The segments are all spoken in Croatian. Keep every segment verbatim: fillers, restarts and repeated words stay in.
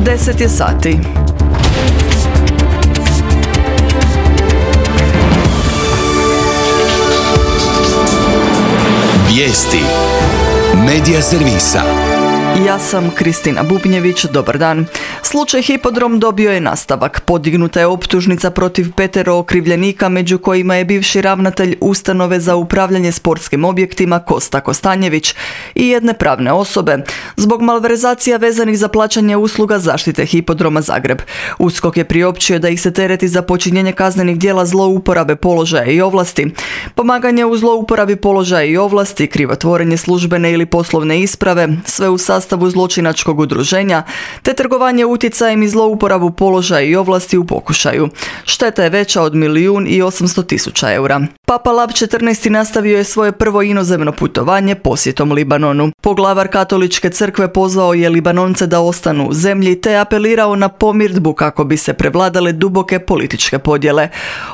deset je sati. Vijesti Medija servisa. Ja sam Kristina Bubnjević, dobar dan. Slučaj Hipodrom dobio je nastavak. Podignuta je optužnica protiv petero okrivljenika, među kojima je bivši ravnatelj Ustanove za upravljanje sportskim objektima Kosta Kostanjević i jedne pravne osobe zbog malverzacija vezanih za plaćanje usluga zaštite Hipodroma Zagreb. USKOK je priopćio da ih se tereti za počinjenje kaznenih djela zlouporabe položaja i ovlasti, pomaganje u zlouporabi položaja i ovlasti, krivotvorenje službene ili poslovne isprave, sve u sastavu zločinačkog udruženja, te trgovanje utjecajem i zlouporabu položaja i ovlasti u pokušaju. Šteta je veća od milijun i osamsto tisuća eura. Papa Lav četrnaesti nastavio je svoje prvo inozemno putovanje posjetom Libanonu. Poglavar katoličke crkve pozvao je Libanonce da ostanu u zemlji te apelirao na pomirdbu kako bi se prevladale duboke političke podjele.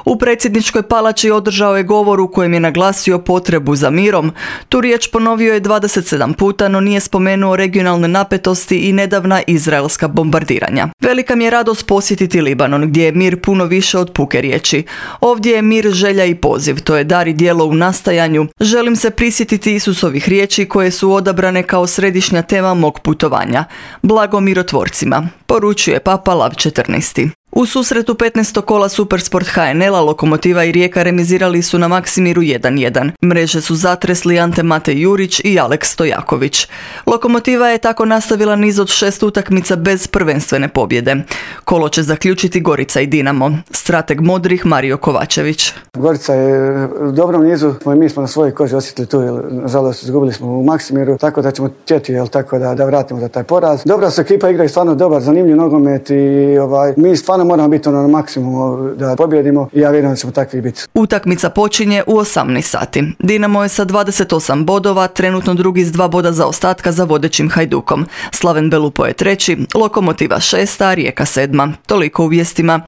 U predsjedničkoj palači održao je govor u kojem je naglasio potrebu za mirom. Tu riječ ponovio je dvadeset sedam puta, no nije spomenuo regionalne napetosti i nedavna izraelska bombardiranja. Velika mi je radost posjetiti Libanon, gdje je mir puno više od puke riječi. Ovdje je mir, želja i poziv, to je dar i djelo u nastajanju. Želim se prisjetiti Isusovih riječi koje su odabrane kao središnja tema mog putovanja. Blago mirotvorcima, poručuje Papa Lav četrnaesti. U susretu petnaestog kola Supersport H N L-a Lokomotiva i Rijeka remizirali su na Maksimiru jedan jedan. Mreže su zatresli Ante Mate Jurić i Aleks Stojaković. Lokomotiva je tako nastavila niz od šest utakmica bez prvenstvene pobjede. Kolo će zaključiti Gorica i Dinamo. Strateg modrih Mario Kovačević. Gorica je u dobrom nizu, mi smo na svojoj koži osjetili tu, jer nažalost izgubili smo u Maksimiru, tako da ćemo htjeti, jel, tako da, da vratimo za taj poraz. Dobra su ekipa, igraju stvarno dobar, zanimljiv nogomet i ovaj, mi stvarno moramo biti ono na maksimumu da pobjedimo i ja vjerujem da ćemo takvi biti. Utakmica počinje u osamnaest sati. Dinamo je sa dvadeset osam bodova, trenutno drugi s dva boda zaostatka za vodećim Hajdukom. Slaven Belupo je treći, Lokomotiva šesta, Rijeka sedma. Toliko u vijestima.